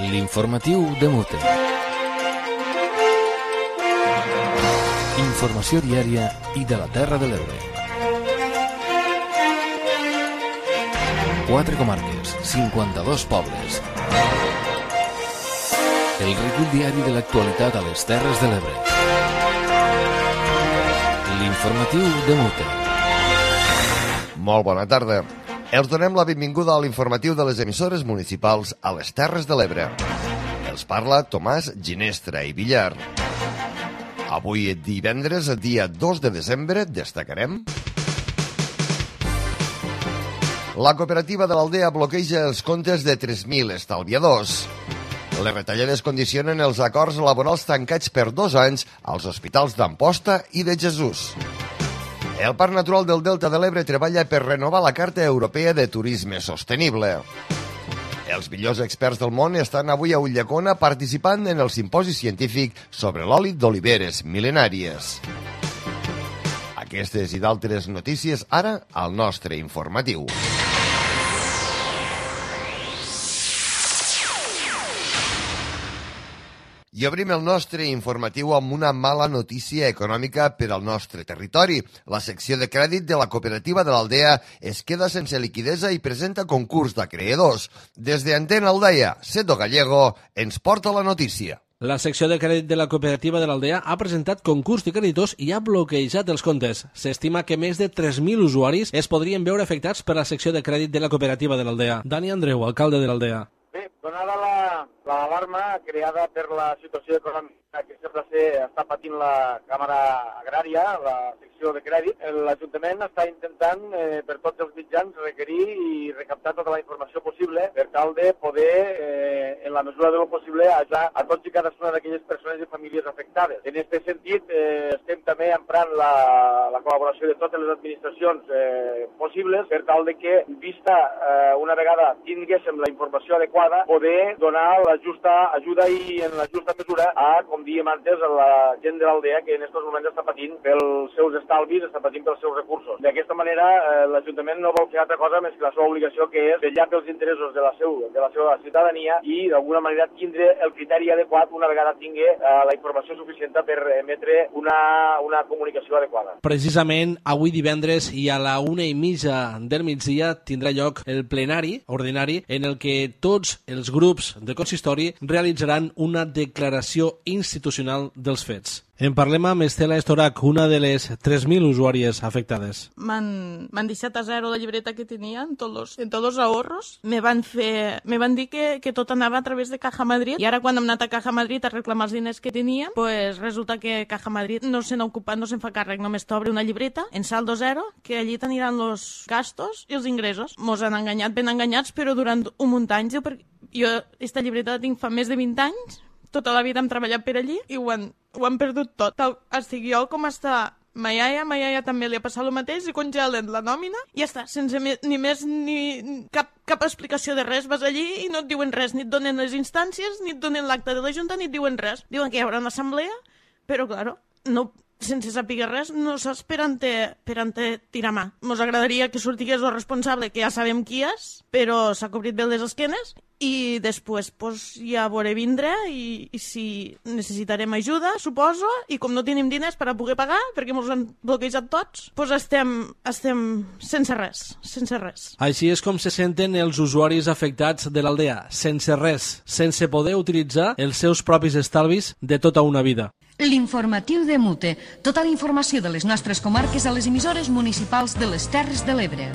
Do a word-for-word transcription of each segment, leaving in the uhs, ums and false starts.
L'informatiu de Mute. Informació diària i de la Terra de l'Ebre. Quatre comarques, cinquanta-dos pobles. El recull diari de l'actualitat a les Terres de l'Ebre. L'informatiu de Mute. Molt bona tarda. Els donem la benvinguda a l'informatiu de les emissores municipals a les Terres de l'Ebre. Els parla Tomàs Ginestra i Villar. Avui, divendres, dia dos de desembre, destacarem... La cooperativa de l'Aldea bloqueja els comptes de tres mil estalviadors. Les retallades condicionen els acords laborals tancats per dos anys als hospitals d'Amposta i de Jesús. El Parc Natural del Delta de l'Ebre treballa per renovar la Carta Europea de Turisme Sostenible. Els millors experts del món estan avui a Ulldecona participant en el simposi científic sobre l'oli d'oliveres mil·lenàries. Aquestes i d'altres notícies ara al nostre informatiu. I obrim el nostre informatiu amb una mala notícia econòmica per al nostre territori. La secció de crèdit de la cooperativa de l'Aldea es queda sense liquidesa i presenta concurs d'acreedors. Des d'Antena Aldeia, Seto Gallego ens porta la notícia. La secció de crèdit de la cooperativa de l'Aldea ha presentat concurs de creditors i ha bloquejat els comptes. S'estima que més de tres mil usuaris es podrien veure afectats per la secció de crèdit de la cooperativa de l'Aldea. Dani Andreu, alcalde de l'Aldea. Bé, donada la, l'alarma creada per la situació econòmica que sembla ser està patint la Càmera Agrària, la secció de crèdit, l'Ajuntament està intentant eh, per tots els mitjans requerir i recaptar tota la informació possible per tal de poder, eh, en la mesura de lo possible, ajudar a tots i cadascuna d'aquelles persones i famílies afectades. En aquest sentit, eh, estem també emprant la, la col·laboració de totes les administracions eh, possibles per tal de que, vista eh, una vegada tinguéssim la informació adequada, poder donar la justa ajuda i en la justa mesura a, com diem antes, a la gent de l'Aldea que en aquests moments està patint pels seus estalvis, està patint pels seus recursos. D'aquesta manera, eh, l'Ajuntament no vol fer altra cosa més que la seva obligació, que és vetllar pels interessos de la, seu, de la seva ciutadania i, d'alguna manera, tindre el criteri adequat una vegada tingui eh, la informació suficient per emetre una, una comunicació adequada. Precisament, avui divendres i a la una i mitja del migdia tindrà lloc el plenari ordinari en el que tots els grups de consistori realitzaran una declaració institucional dels fets. En parlem amb Estela Estorac, una de les tres mil usuàries afectades. M'han deixat a zero la llibreta que tenia en tots los, en tots los ahorros. Me van, fer, me van dir que, que tot anava a través de Caja Madrid i ara quan hem anat a Caja Madrid a reclamar els diners que teníem, pues resulta que Caja Madrid no se n'ha ocupat, no se'n fa càrrec, només t'obre una llibreta en saldo zero, que allí t'aniran els gastos i els ingressos. Mos han enganyat, ben enganyats, però durant un munt d'anys. Jo, jo aquesta llibreta la tinc fa més de vint anys, tota la vida hem treballat per allí i ho han, ho han perdut tot. Tal, estic jo com està ma iaia, ma iaia també li ha passat el mateix i congelen la nòmina i ja està, sense me, ni més ni cap, cap explicació de res. Vas allí i no et diuen res, ni et donen les instàncies, ni et donen l'acte de la Junta, ni et diuen res. Diuen que hi haurà una assemblea, però, claro, no, sense saber res, no saps per on te, per on te tirar mà. Mos agradaria que sortigués el responsable, que ja sabem qui és, però s'ha cobrit bé les esquenes, i després pues, ja veuré vindre i, i si necessitarem ajuda, suposo, i com no tenim diners per a poder pagar, perquè ens han bloquejat tots, pues estem, estem sense res, sense res. Així és com se senten els usuaris afectats de l'Aldea, sense res, sense poder utilitzar els seus propis estalvis de tota una vida. L'informatiu de Mute. Tota la informació de les nostres comarques a les emissores municipals de les Terres de l'Ebre.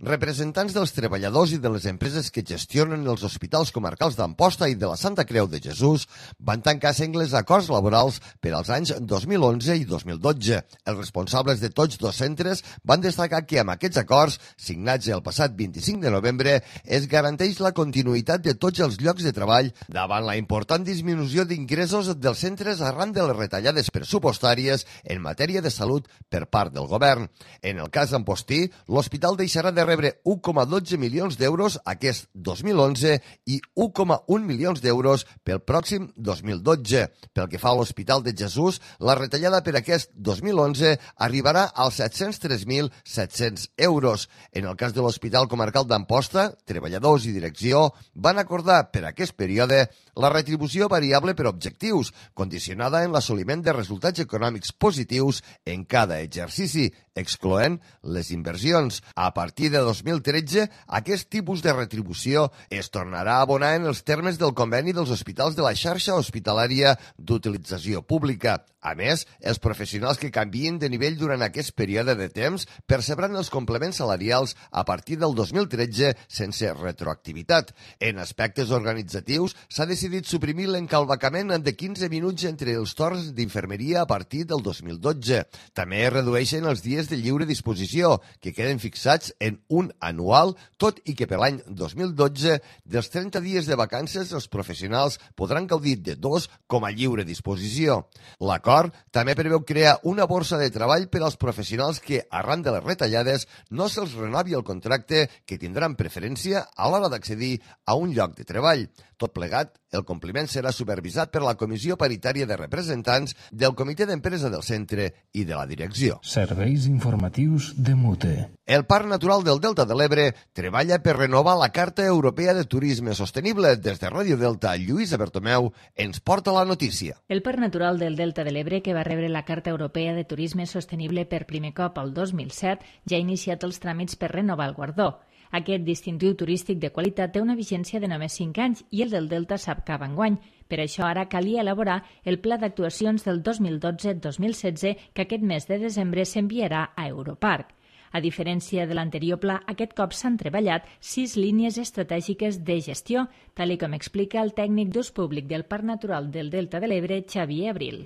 Representants dels treballadors i de les empreses que gestionen els hospitals comarcals d'Amposta i de la Santa Creu de Jesús van tancar sengles acords laborals per als anys dos mil onze i dos mil dotze. Els responsables de tots dos centres van destacar que amb aquests acords, signats el passat vint-i-cinc de novembre, es garanteix la continuïtat de tots els llocs de treball davant la important disminució d'ingressos dels centres arran de les retallades pressupostàries en matèria de salut per part del govern. En el cas ampostí, l'hospital deixarà de rebre u coma dotze milions d'euros aquest dos mil onze i u coma un milions d'euros pel pròxim dos mil dotze. Pel que fa a l'Hospital de Jesús, la retallada per aquest dos mil onze arribarà als set-cents tres mil set-cents euros. En el cas de l'Hospital Comarcal d'Amposta, treballadors i direcció van acordar per aquest període la retribució variable per objectius, condicionada en l'assoliment de resultats econòmics positius en cada exercici, excloent les inversions. A partir de dos mil tretze, aquest tipus de retribució es tornarà a abonar en els termes del conveni dels hospitals de la xarxa hospitalària d'utilització pública. A més, els professionals que canvien de nivell durant aquest període de temps percebran els complements salarials a partir del dos mil tretze sense retroactivitat. En aspectes organitzatius, s'ha decidit suprimir l'encalvacament de quinze minuts entre els torns d'infermeria a partir del dos mil dotze. També es redueixen els dies de lliure disposició, que queden fixats en un anual, tot i que per l'any dos mil dotze, dels trenta dies de vacances, els professionals podran gaudir de dos com a lliure disposició. L'acord també preveu crear una borsa de treball per als professionals que, arran de les retallades, no se'ls renovi el contracte, que tindran preferència a l'hora d'accedir a un lloc de treball. Tot plegat, el compliment serà supervisat per la Comissió Paritària de Representants del Comitè d'Empresa del Centre i de la Direcció. Serveis informatius de Mute. El Parc Natural del Delta de l'Ebre treballa per renovar la Carta Europea de Turisme Sostenible. Des de Ràdio Delta, Lluïsa Bertomeu ens porta la notícia. El Parc Natural del Delta de l'Ebre, que va rebre la Carta Europea de Turisme Sostenible per primer cop el dos mil set, ja ha iniciat els tràmits per renovar el guardó. Aquest distintiu turístic de qualitat té una vigència de només cinc anys i el del Delta s'acaba enguany. Per això ara calia elaborar el pla d'actuacions del dos mil dotze dos mil setze que aquest mes de desembre s'enviarà a Europarc. A diferència de l'anterior pla, aquest cop s'han treballat sis línies estratègiques de gestió, tal com explica el tècnic d'ús públic del Parc Natural del Delta de l'Ebre, Xavier Abril.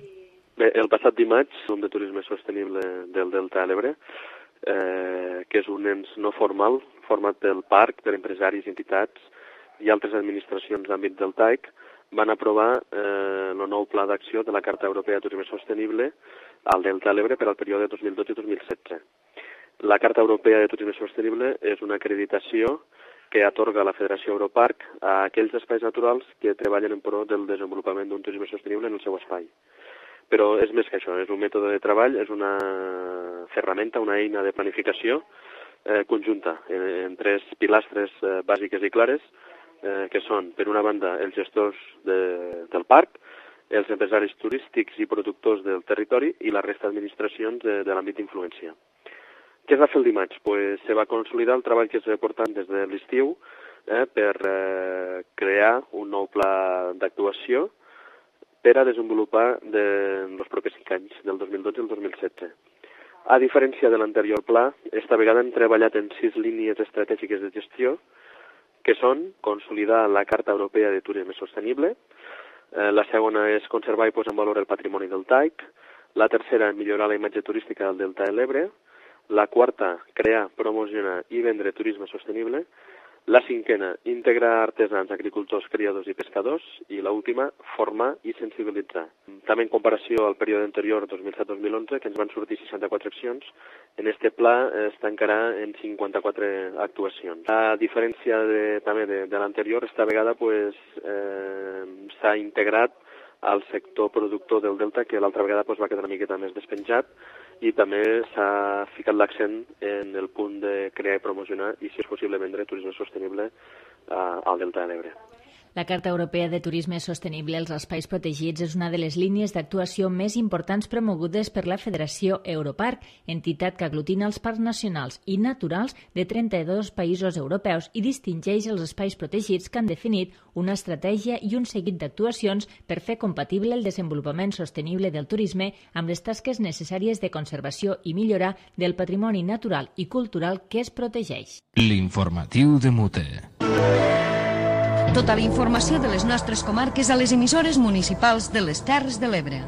Bé, el passat dimarts, el de turisme sostenible del Delta de l'Ebre, eh, que és un ens no formal, format pel parc, per empresaris, entitats i altres administracions d'àmbit deltaic, van aprovar eh, el nou pla d'acció de la Carta Europea de Turisme Sostenible al Delta de l'Ebre per al període dos mil dotze dos mil setze. La Carta Europea de Turisme Sostenible és una acreditació que atorga la Federació Europarc a aquells espais naturals que treballen en pro del desenvolupament d'un turisme sostenible en el seu espai. Però és més que això, és un mètode de treball, és una ferramenta, una eina de planificació eh, conjunta en, en tres pilastres eh, bàsiques i clares, eh, que són, per una banda, els gestors de, del parc, els empresaris turístics i productors del territori i la resta d'administracions de, de l'àmbit d'influència. Què es va fer el dimarts? Pues se va consolidar el treball que es va portant des de l'estiu eh, per eh, crear un nou pla d'actuació per a desenvolupar de, en els propers cinc anys, del dos mil dotze al dos mil setze. A diferència de l'anterior pla, esta vegada hem treballat en sis línies estratègiques de gestió, que són consolidar la Carta Europea de Turisme Sostenible, eh, la segona és conservar i posar en valor el patrimoni deltaic, la tercera, millorar la imatge turística del Delta de l'Ebre, la quarta, crear, promocionar i vendre turisme sostenible, la cinquena, integrar artesans, agricultors, criadors i pescadors, i l'última, formar i sensibilitzar. També en comparació al període anterior, dos mil set dos mil onze, que ens van sortir seixanta-quatre accions, en este pla es tancarà en cinquanta-quatre actuacions. A diferència de, també de, de l'anterior, esta vegada pues, eh, s'ha integrat al sector productor del Delta, que l'altra vegada pues, va quedar una miqueta més despenjat, i també s'ha ficat l'accent en el punt de crear i promocionar i, si és possible, vendre turisme sostenible eh, al Delta de l'Ebre. La Carta Europea de Turisme Sostenible als Espais Protegits és una de les línies d'actuació més importants promogudes per la Federació Europarc, entitat que aglutina els parcs nacionals i naturals de trenta-dos països europeus i distingeix els espais protegits que han definit una estratègia i un seguit d'actuacions per fer compatible el desenvolupament sostenible del turisme amb les tasques necessàries de conservació i millorar del patrimoni natural i cultural que es protegeix. L'informatiu de Mute. Tota la informació de les nostres comarques a les emissores municipals de les Terres de l'Ebre.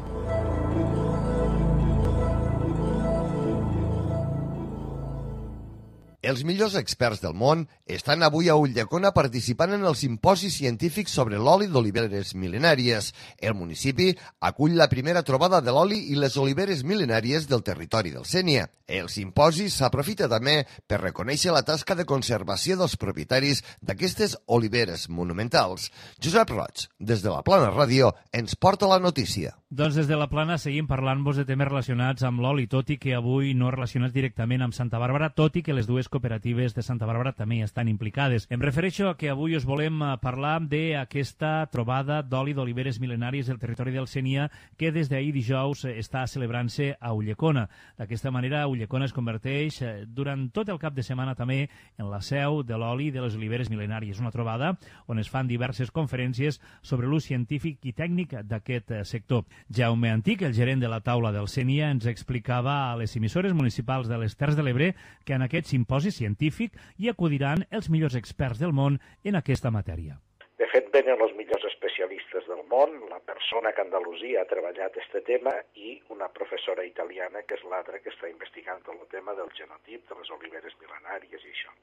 Els millors experts del món estan avui a Ulldecona participant en el simposi científic sobre l'oli d'oliveres mil·lenàries. El municipi acull la primera trobada de l'oli i les oliveres mil·lenàries del territori del Sénia. El simposi s'aprofita també per reconèixer la tasca de conservació dels propietaris d'aquestes oliveres monumentals. Josep Roig, des de la Plana Ràdio, ens porta la notícia. Doncs des de la Plana seguim parlant-vos de temes relacionats amb l'oli, tot i que avui no relacionats directament amb Santa Bàrbara, tot i que les dues cooperatives de Santa Bàrbara també estan implicades. Em refereixo a que avui us volem parlar d'aquesta trobada d'oli d'oliveres mil·lenàries del territori del Sénia que des d'ahir dijous està celebrant-se a Ulldecona. D'aquesta manera, Ulldecona es converteix durant tot el cap de setmana també en la seu de l'oli de les oliveres mil·lenàries. Una trobada on es fan diverses conferències sobre l'ús científic i tècnic d'aquest sector. Jaume Antic, el gerent de la taula del Sénia, ens explicava a les emissores municipals de les Terres de l'Ebre que en aquest simposi científic hi acudiran els millors experts del món en aquesta matèria. De fet, venen els millors especialistes del món, la persona que a Andalusia ha treballat aquest tema i una professora italiana, que és l'altra que està investigant el tema del genotip de les oliveres mil·lenàries i això.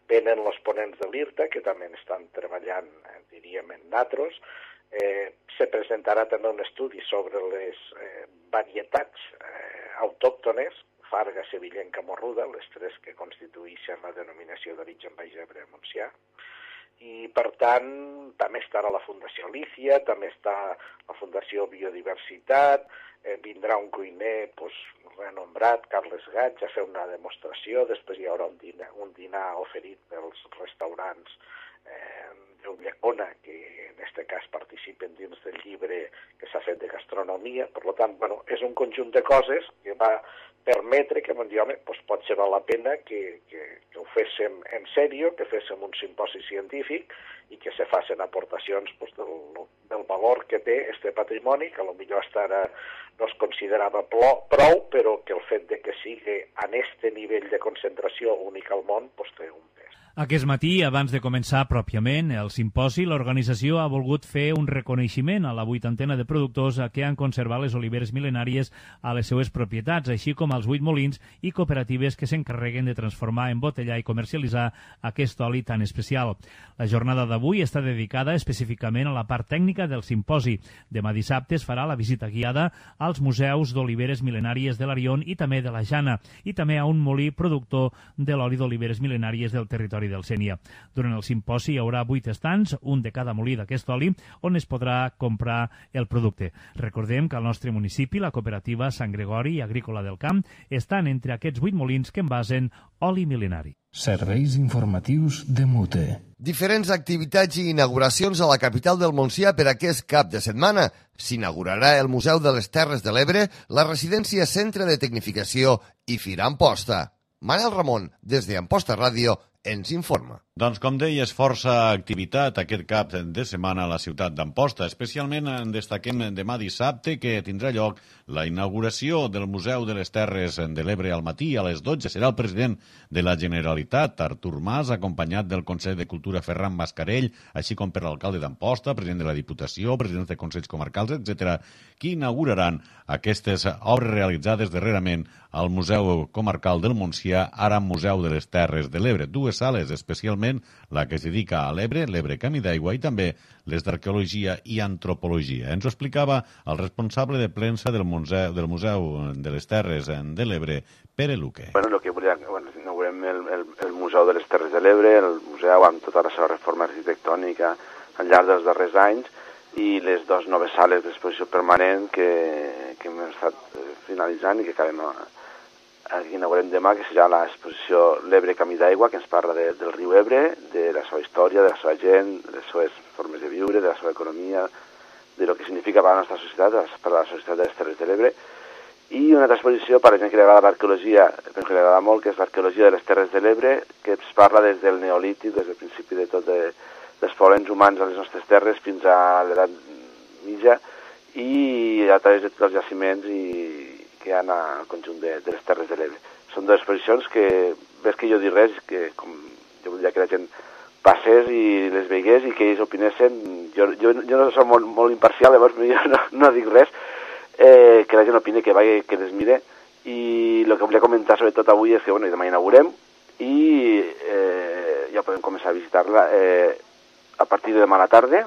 Venen els ponents de l'I R T A, que també estan treballant, diríem, en natros. Eh, se presentarà també un estudi sobre les eh, varietats eh, autòctones, Farga, Sevillenca, Morruda, les tres que constitueixen la denominació d'origen Baix Ebre Montsià. I, per tant, també estarà la Fundació Lícia, també està la Fundació Biodiversitat, eh, vindrà un cuiner pues, renombrat, Carles Gaig, a fer una demostració, després hi haurà un dinar, un dinar oferit pels restaurants eh, d'Ulldecona, que en aquest cas participen dins del llibre que s'ha fet de gastronomia. Per tant, bueno, és un conjunt de coses que va permetre que, bon, home, doncs pot ser val la pena que, que, que ho féssim en sèrio, que féssim un simposi científic i que se facin aportacions doncs, del, del valor que té este patrimoni, que potser hasta ara no es considerava prou, però que el fet de que sigui en este nivell de concentració únic al món doncs, té un pes. Aquest matí, abans de començar pròpiament el simposi, l'organització ha volgut fer un reconeixement a la vuitantena de productors que han conservat les oliveres mil·lenàries a les seues propietats, així com als vuit molins i cooperatives que s'encarreguen de transformar, embotellar i comercialitzar aquest oli tan especial. La jornada d'avui està dedicada específicament a la part tècnica del simposi. Demà dissabte es farà la visita guiada als museus d'oliveres mil·lenàries de l'Arion i també de la Jana, i també a un molí productor de l'oli d'oliveres mil·lenàries del territori del Sénia. Durant el simposi hi haurà vuit estants, un de cada molí d'aquest oli, on es podrà comprar el producte. Recordem que al nostre municipi la cooperativa Sant Gregori Agrícola del Camp estan entre aquests vuit molins que envasen oli mil·lenari. Serveis informatius de Mute. Diferents activitats i inauguracions a la capital del Montsià per aquest cap de setmana. S'inaugurarà el Museu de les Terres de l'Ebre, la residència Centre de Tecnificació i Fira Amposta. Manel Ramon, des d'Amposta Ràdio, ens informa. Doncs, com deies, força activitat aquest cap de setmana a la ciutat d'Amposta. Especialment en destaquem demà dissabte que tindrà lloc la inauguració del Museu de les Terres de l'Ebre al matí a les dotze. Serà el president de la Generalitat, Artur Mas, acompanyat del Consell de Cultura Ferran Mascarell, així com per l'alcalde d'Amposta, president de la Diputació, presidents de Consells Comarcals, etcètera, que inauguraran aquestes obres realitzades darrerament al Museu Comarcal del Montsià, ara Museu de les Terres de l'Ebre. Dues sales, especialment la que es dedica a l'Ebre, l'Ebre Camí d'Aigua, i també les d'Arqueologia i Antropologia. Ens ho explicava el responsable de premsa del Museu, del Museu de les Terres de l'Ebre, Pere Luque. Bueno, lo que volia, bueno, inaugurem el, el, el Museu de les Terres de l'Ebre, el museu amb tota la seva reforma arquitectònica al llarg dels darrers anys, i les dues noves sales d'exposició permanent que, que hem estat finalitzant i que acabem a Aquí inaugurem demà, que serà l'exposició L'Ebre Camí d'Aigua, que ens parla de, del riu Ebre, de la seva història, de la seva gent, de les seves formes de viure, de la seva economia, de lo que significa per a la nostra societat, per a la societat de les Terres de l'Ebre. I una altra exposició per a la gent que li agrada l'arqueologia, que li agrada molt, que és l'arqueologia de les Terres de l'Ebre, que ens parla des del Neolític, des del principi de tot de, dels poblets humans a les nostres terres fins a l'edat mitja, i a través de tots els jaciments i que hi ha al conjunt de, de les Terres de l'Ebre. Són dues exposicions que, ves que jo dir res, que com jo volia que la gent passés i les veigués i que ells opinessin, jo, jo, jo no soc molt, molt imparcial, llavors jo no, no dic res, eh, que la gent opine, que vagi, que les mire, i el que volia comentar sobretot avui és que bueno, demà inaugurem, i eh, ja podem començar a visitar-la eh, a partir de demà a la tarda.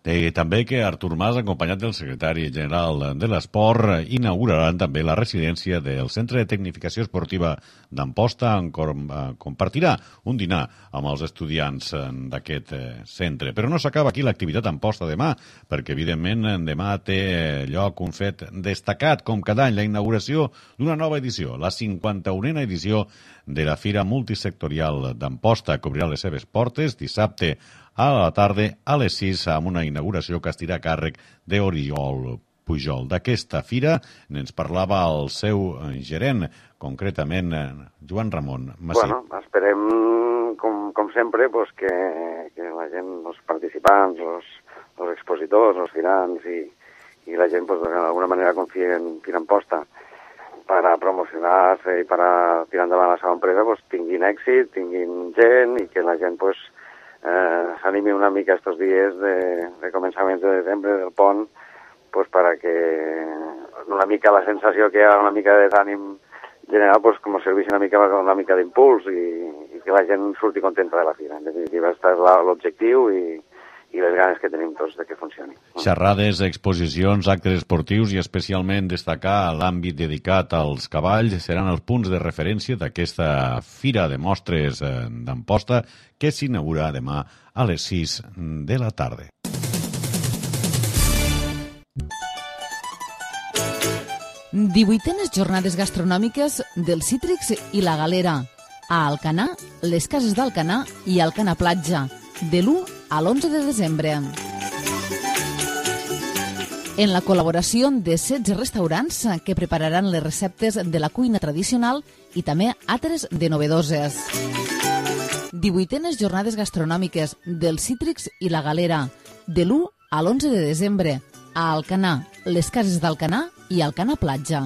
Eh, també que Artur Mas, acompanyat del secretari general de l'Esport, inauguraran també la residència del Centre de Tecnificació Esportiva d'Amposta, on compartirà un dinar amb els estudiants d'aquest centre. Però no s'acaba aquí l'activitat Amposta demà, perquè evidentment demà té lloc un fet destacat, com cada any, la inauguració d'una nova edició, la cinquanta-unena edició de la Fira Multisectorial d'Amposta, que obrirà les seves portes dissabte a la tarda a les sis amb una inauguració que estirà a càrrec d'Oriol Pujol. D'aquesta fira ens parlava el seu gerent, concretament Joan Ramon Massip. Bueno, esperem, com, com sempre, pues, que, que la gent, els participants, els, els expositors, els firants i, i la gent, pues, d'alguna manera confie en Fira Amposta per a promocionar-se i per a tirar endavant la seva empresa, pues, tinguin èxit, tinguin gent i que la gent, pues, Eh, s'animi una mica estos dies de, de començaments de desembre del pont, pues para que una mica la sensació que hi ha una mica de desànim general, pues com serveix una mica una mica d'impuls i, i que la gent surti contenta de la fira. En definitiva, aquest és l'objectiu i, i les ganes que tenim tots de que funcioni. Xerrades, exposicions, actes esportius i especialment destacar l'àmbit dedicat als cavalls seran els punts de referència d'aquesta Fira de Mostres d'Amposta que s'inaugura demà a les sis de la tarda. divuitenes jornades gastronòmiques del Cítrix i la Galera. A Alcanar, les cases d'Alcanar i Alcanar Platja, de l'u a l'onze de desembre. En la col·laboració de setze restaurants que prepararan les receptes de la cuina tradicional i també altres de novedoses. divuitenes jornades gastronòmiques del Cítrix i la Galera, de l'u a l'onze de desembre, a Alcanar, les cases d'Alcanar i Alcanar Platja.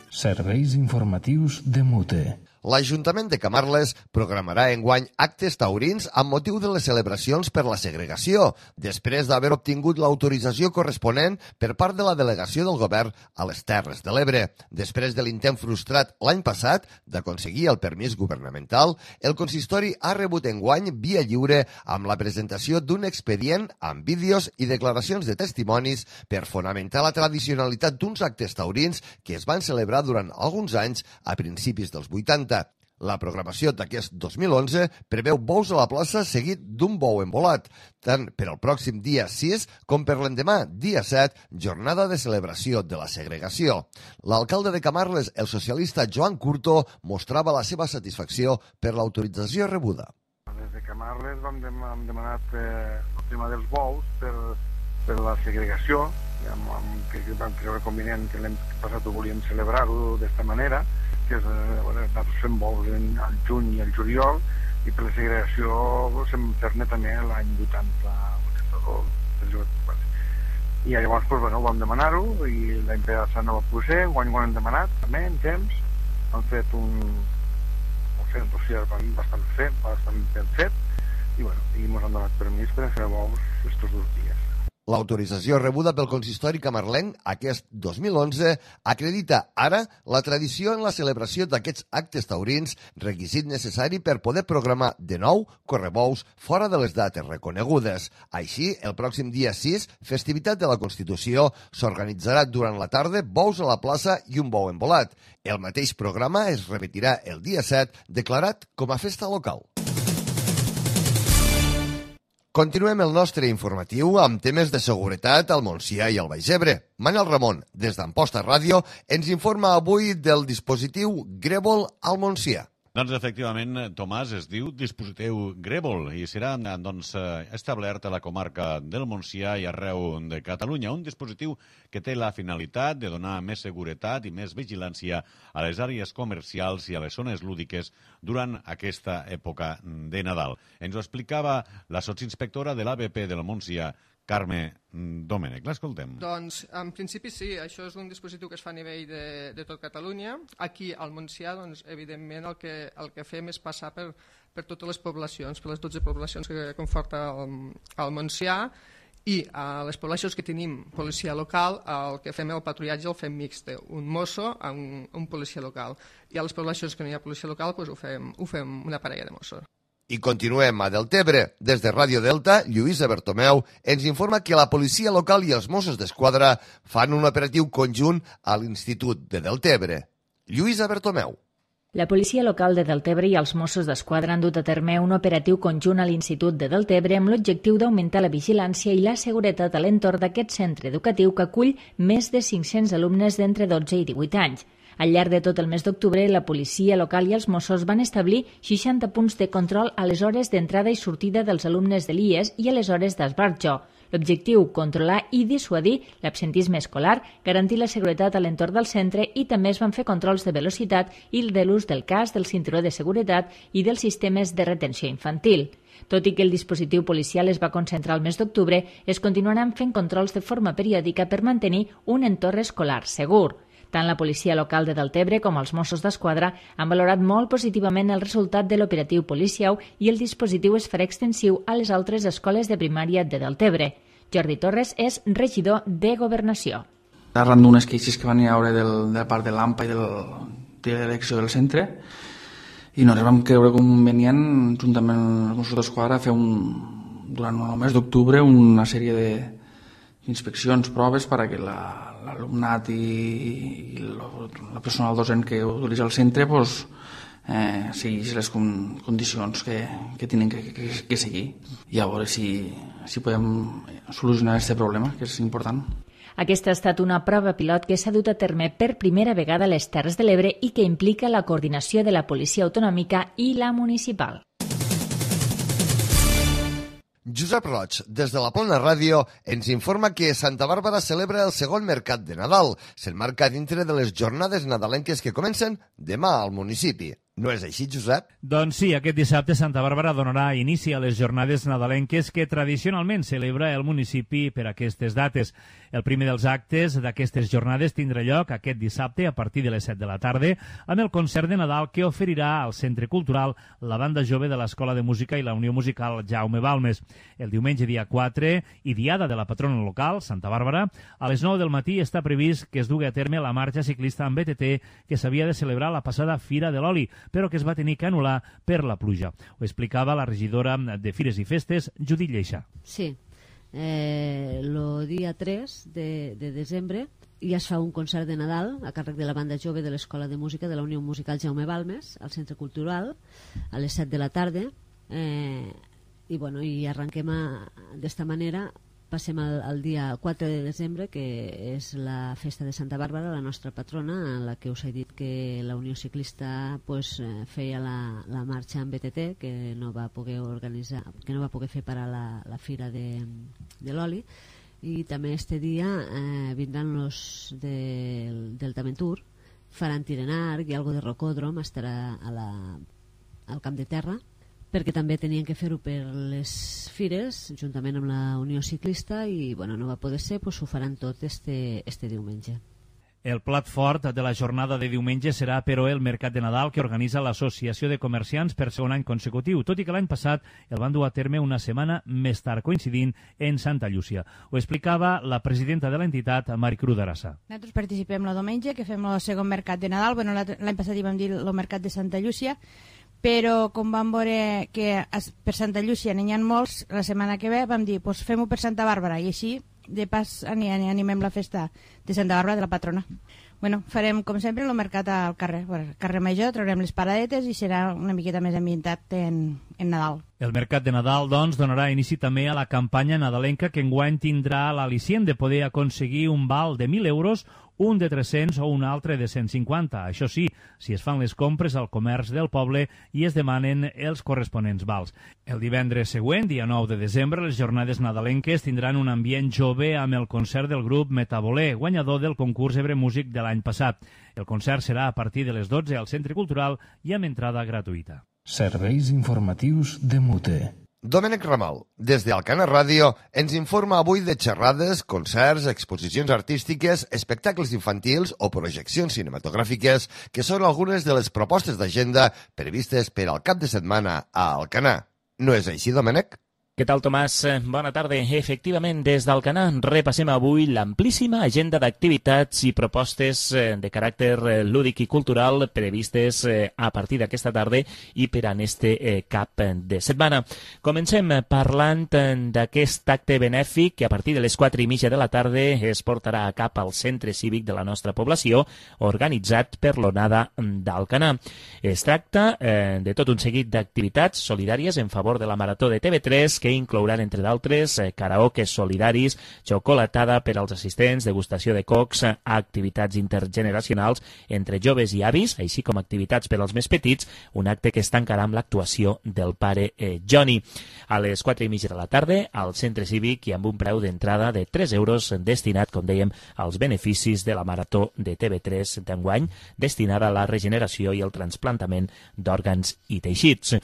Serveis informatius de Mute. L'Ajuntament de Camarles programarà enguany actes taurins amb motiu de les celebracions per la segregació, després d'haver obtingut l'autorització corresponent per part de la delegació del govern a les Terres de l'Ebre. Després de l'intent frustrat l'any passat d'aconseguir el permís governamental, el consistori ha rebut enguany via lliure amb la presentació d'un expedient amb vídeos i declaracions de testimonis per fonamentar la tradicionalitat d'uns actes taurins que es van celebrar durant alguns anys a principis dels vuitanta. La programació d'aquest dos mil onze preveu bous a la plaça seguit d'un bou embolat, tant per al pròxim dia sis com per l'endemà, dia set, jornada de celebració de la segregació. L'alcalde de Camarles, el socialista Joan Curto, mostrava la seva satisfacció per l'autorització rebuda. Des de Camarles vam hem demanat eh, el tema dels bous per, per la segregació, amb, amb, que vam creure convenient que l'any passat ho volíem celebrar-ho d'esta manera, que és, eh, nosaltres fem bous al juny i al juliol, i per la segregació vam fer-ne també l'any vuitanta, i llavors pues, bueno, vam demanar-ho, i l'any passat no va poder ser, guany ho hem demanat, també en temps, han fet un, un fet dossier bastant fet, bastant ben fet, i bueno, i ens han donat permís per fer bous estos dos dies. L'autorització rebuda pel consistori camarlenc aquest dos mil onze acredita ara la tradició en la celebració d'aquests actes taurins, requisit necessari per poder programar de nou correbous fora de les dates reconegudes. Així, el pròxim dia sis, festivitat de la Constitució, s'organitzarà durant la tarda bous a la plaça i un bou embolat. El mateix programa es repetirà el dia set, declarat com a festa local. Continuem el nostre informatiu amb temes de seguretat al Montsià i al Baix Ebre. Manel Ramon, des d'Amposta Ràdio, ens informa avui del dispositiu Grèvol al Montsià. Doncs, efectivament, Tomàs, es diu dispositiu Grèvol i serà doncs, establert a la comarca del Montsià i arreu de Catalunya. Un dispositiu que té la finalitat de donar més seguretat i més vigilància a les àrees comercials i a les zones lúdiques durant aquesta època de Nadal. Ens ho explicava la sotsinspectora de l'A B P del Montsià, Carme Domènech. L'escoltem. Doncs, en principi sí, això és un dispositiu que es fa a nivell de, de tot Catalunya. Aquí, al Montsià, doncs, evidentment, el que, el que fem és passar per, per totes les poblacions, per les dotze poblacions que conforta el, el Montsià, I a les poblacions que tenim policia local, el que fem el patrullatge el fem mixte, un mosso amb un policia local. I a les poblacions que no hi ha policia local doncs ho, fem, ho fem una parella de mossos. I continuem a Deltebre. Des de Ràdio Delta, Lluïsa Bertomeu ens informa que la policia local i els Mossos d'Esquadra fan un operatiu conjunt a l'Institut de Deltebre. Lluïsa Bertomeu. La policia local de Deltebre i els Mossos d'Esquadra han dut a terme un operatiu conjunt a l'Institut de Deltebre amb l'objectiu d'augmentar la vigilància i la seguretat a l'entorn d'aquest centre educatiu que acull més de cinc-cents alumnes d'entre dotze i divuit anys. Al llarg de tot el mes d'octubre, la policia local i els Mossos van establir seixanta punts de control a les hores d'entrada i sortida dels alumnes de l'I E S i a les hores d'esbarjo. L'objectiu, controlar i dissuadir l'absentisme escolar, garantir la seguretat a l'entorn del centre i també es van fer controls de velocitat i de l'ús del casc, del cinturó de seguretat i dels sistemes de retenció infantil. Tot i que el dispositiu policial es va concentrar al mes d'octubre, es continuaran fent controls de forma periòdica per mantenir un entorn escolar segur. Tant la policia local de Deltebre com els Mossos d'Esquadra han valorat molt positivament el resultat de l'operatiu policial i el dispositiu es farà extensiu a les altres escoles de primària de Deltebre. Jordi Torres és regidor de Governació. Arran d'unes queixes que van haver del, de part de l'A M P A i del, de l'elecció del centre, i nosaltres vam creure convenient, juntament amb els Mossos d'Esquadra, fer un, durant el mes d'octubre una sèrie de inspeccions, proves, perquè l'alumnat i, i la personal docent que utilitza el centre pues, eh, segueix les con, condicions que, que tenen que, que, que seguir i a veure si, si podem solucionar aquest problema, que és important. Aquesta ha estat una prova pilot que s'ha dut a terme per primera vegada a les Terres de l'Ebre i que implica la coordinació de la policia autonòmica i la municipal. Josep Roig, des de la Plana Ràdio, ens informa que Santa Bàrbara celebra el segon mercat de Nadal. S'enmarca dintre de les jornades nadalenques que comencen demà al municipi. No és així, Josep? Doncs sí, aquest dissabte Santa Bàrbara donarà inici a les jornades nadalenques que tradicionalment celebra el municipi per aquestes dates. El primer dels actes d'aquestes jornades tindrà lloc aquest dissabte a partir de les set de la tarda amb el concert de Nadal que oferirà al Centre Cultural la banda jove de l'Escola de Música i la Unió Musical Jaume Balmes. El diumenge dia quatre i diada de la patrona local, Santa Bàrbara, a les nou del matí està previst que es dugui a terme la marxa ciclista amb B T T que s'havia de celebrar la passada Fira de l'Oli, però que es va tenir que anul·lar per la pluja. Ho explicava la regidora de Fires i Festes, Judit Lleixa. Sí, eh, el dia tres de, de desembre ja es fa un concert de Nadal a càrrec de la banda jove de l'Escola de Música de la Unió Musical Jaume Balmes al Centre Cultural a les set de la tarda eh, i, bueno, i arrenquem d'esta manera. Passem al, al dia quatre de desembre, que és la festa de Santa Bàrbara, la nostra patrona, en la que us he dit que la Unió Ciclista pues, eh, feia la, la marxa en B T T, que no va poder organitzar, que no va poder fer parar la, la fira de, de l'oli, i també este dia eh, vindran els de, del Tamentur, faran tir en arc i algo de rocòdrom, estarà a la, al Camp de Terra, perquè també tenien que fer-ho per les fires, juntament amb la Unió Ciclista, i bueno, no va poder ser, doncs ho faran tot este, este diumenge. El plat fort de la jornada de diumenge serà, però, el Mercat de Nadal que organitza l'Associació de Comerciants per segon any consecutiu, tot i que l'any passat el van dur a terme una setmana més tard, coincidint en Santa Llúcia. Ho explicava la presidenta de l'entitat, Maricruz d'Arassa. Nosaltres participem el diumenge, que fem el segon Mercat de Nadal. Bueno, l'any passat hi vam dir el Mercat de Santa Llúcia, però com vam veure que per Santa Llúcia n'hi ha molts, la setmana que ve vam dir, pues fem-ho per Santa Bàrbara, i així de pas animem la festa de Santa Bàrbara, de la patrona. Bueno, farem com sempre el mercat al carrer, al carrer Major, traurem les paradetes i serà una miqueta més ambientat en, en Nadal. El Mercat de Nadal, doncs, donarà inici també a la campanya nadalenca que enguany tindrà l'al·licient de poder aconseguir un val de mil euros, un de tres-cents o un altre de cent cinquanta. Això sí, si es fan les compres al comerç del poble i es demanen els corresponents vals. El divendres següent, dia nou de desembre, les jornades nadalenques tindran un ambient jove amb el concert del grup Metabolé, guanyador del concurs Ebre Músic de l'any passat. El concert serà a partir de les dotze al Centre Cultural i amb entrada gratuïta. Serveis informatius de Mute. Domènec Ramal, des d'Alcana Ràdio, ens informa avui de xerrades, concerts, exposicions artístiques, espectacles infantils o projeccions cinematogràfiques, que són algunes de les propostes d'agenda previstes per al cap de setmana a Alcanar. No és així, Domènec? Què tal, Tomàs? Bona tarda. Efectivament, des d'Alcanar repassem avui l'amplíssima agenda d'activitats i propostes de caràcter lúdic i cultural previstes a partir d'aquesta tarda i per en este cap de setmana. Comencem parlant d'aquest acte benèfic que a partir de les quatre i mitja de la tarda es portarà a cap al centre cívic de la nostra població, organitzat per l'Onada d'Alcanar. Es tracta eh, de tot un seguit d'activitats solidàries en favor de la Marató de T V tres que inclouran, entre d'altres, eh, karaokes solidaris, xocolatada per als assistents, degustació de cocs, eh, activitats intergeneracionals entre joves i avis, així com activitats per als més petits, un acte que es tancarà amb l'actuació del pare eh, Johnny. A les quatre i mitja de la tarda, al centre cívic i amb un preu d'entrada de tres euros destinat, com dèiem, als beneficis de la Marató de T V tres d'enguany, destinada a la regeneració i el trasplantament d'òrgans i teixits.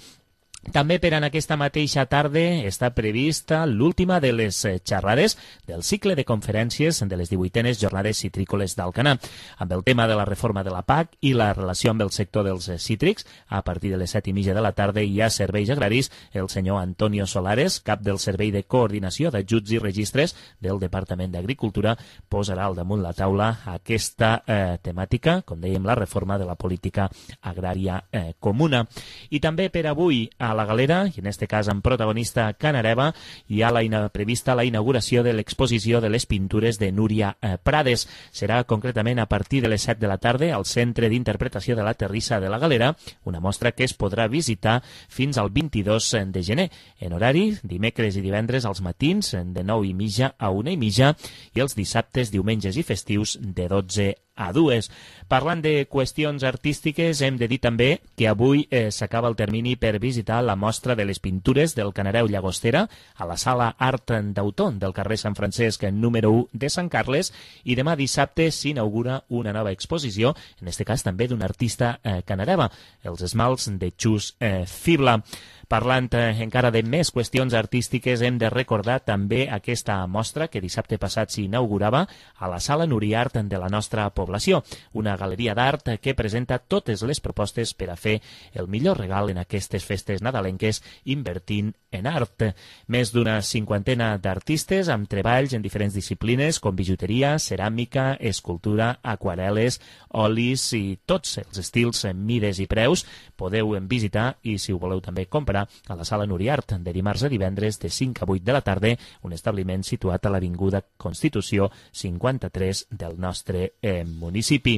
També per en aquesta mateixa tarda està prevista l'última de les xerrades del cicle de conferències de les divuitenes jornades citrícoles d'Alcanar, amb el tema de la reforma de la P A C i la relació amb el sector dels cítrics. A partir de les set i mitja de la tarda hi ha serveis agraris. El senyor Antonio Solares, cap del Servei de Coordinació d'Ajuts i Registres del Departament d'Agricultura, posarà al damunt la taula aquesta eh, temàtica, com dèiem, la reforma de la política agrària eh, comuna. I també per avui, a la galera, i en este cas amb protagonista Canareva, hi ha la ina prevista la inauguració de l'exposició de les pintures de Núria eh, Prades. Serà concretament a partir de les set de la tarda al Centre d'Interpretació de la Terrissa de la Galera, una mostra que es podrà visitar fins al vint-i-dos de gener, en horari dimecres i divendres als matins de nou i mitja a una i mitja i els dissabtes, diumenges i festius de dotze a dues. Parlant de qüestions artístiques, hem de dir també que avui eh, s'acaba el termini per visitar la mostra de les pintures del Canareu Llagostera a la sala Art d'Autó del carrer Sant Francesc número u de Sant Carles, i demà dissabte s'inaugura una nova exposició, en este cas també d'un artista eh, canareva, els esmalts de Xus eh, Fibla. Parlant eh, encara de més qüestions artístiques, hem de recordar també aquesta mostra que dissabte passat s'inaugurava a la Sala Nuriart de la nostra població, una galeria d'art que presenta totes les propostes per a fer el millor regal en aquestes festes nadalenques invertint en art. Més d'una cinquantena d'artistes amb treballs en diferents disciplines com bijuteria, ceràmica, escultura, aquarel·les, olis i tots els estils, mides i preus. Podeu visitar i, si ho voleu també comprar, a la Sala Nuriart de dimarts a divendres de cinc a vuit de la tarda, un establiment situat a l'Avinguda Constitució cinquanta-tres del nostre eh, municipi.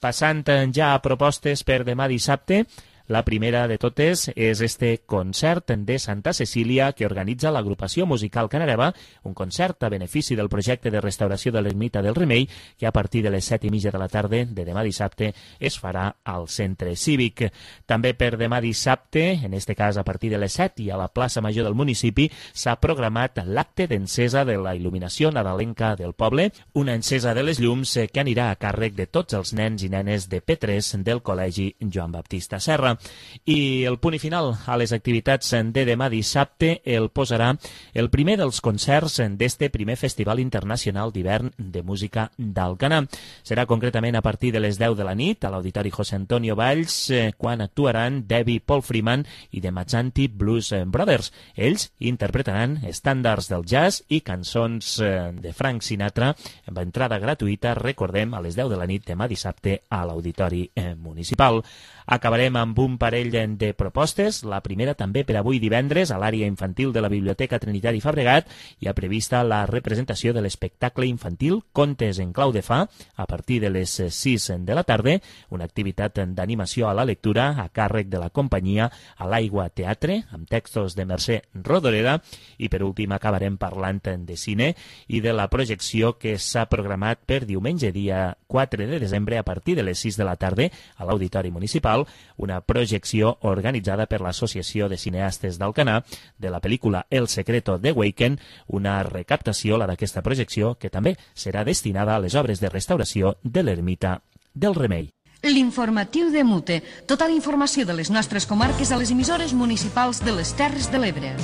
Passant ja a propostes per demà dissabte, la primera de totes és este concert de Santa Cecília que organitza l'agrupació musical Canareva, un concert a benefici del projecte de restauració de l'ermita del Remei que a partir de les set i mitja de la tarda de demà dissabte es farà al centre cívic. També per demà dissabte, en este cas a partir de les set i a la plaça Major del municipi, s'ha programat l'acte d'encesa de la il·luminació nadalenca del poble, una encesa de les llums que anirà a càrrec de tots els nens i nenes de P tres del Col·legi Joan Baptista Serra. I el punt i final a les activitats de demà dissabte el posarà el primer dels concerts d'este primer Festival Internacional d'Hivern de Música d'Alcanar. Serà concretament a partir de les deu de la nit a l'Auditori José Antonio Valls, eh, quan actuaran Debbie Paul Freeman i The Mazzanti Blues Brothers. Ells interpretaran estàndards del jazz i cançons eh, de Frank Sinatra amb entrada gratuïta, recordem, a les deu de la nit demà dissabte a l'Auditori eh, Municipal. Acabarem amb un parell de propostes. La primera també per avui divendres a l'àrea infantil de la Biblioteca Trinitari Fabregat hi ha prevista la representació de l'espectacle infantil Contes en clau de fa a partir de les sis de la tarda, una activitat d'animació a la lectura a càrrec de la companyia A l'Aigua Teatre amb textos de Mercè Rodoreda. I per últim acabarem parlant de cine i de la projecció que s'ha programat per diumenge dia quatre de desembre a partir de les sis de la tarda a l'Auditori Municipal, una projecció organitzada per l'Associació de Cineastes d'Alcanar de la pel·lícula El secreto de Waken, una recaptació, la d'aquesta projecció, que també serà destinada a les obres de restauració de l'ermita del Remei. L'informatiu de Mute. Tota la informació de les nostres comarques a les emissores municipals de les Terres de l'Ebre.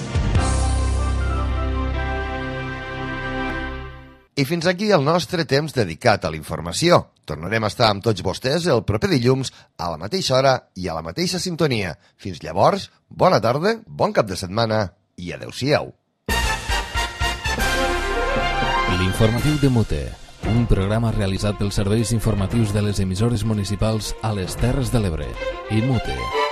I fins aquí el nostre temps dedicat a la informació. Tornarem a estar amb tots vostès el proper dilluns a la mateixa hora i a la mateixa sintonia. Fins llavors, bona tarda, bon cap de setmana i adeu-siau. L'informatiu de Mute, un programa realitzat pels serveis informatius de les emissores municipals a les Terres de l'Ebre. I Mute.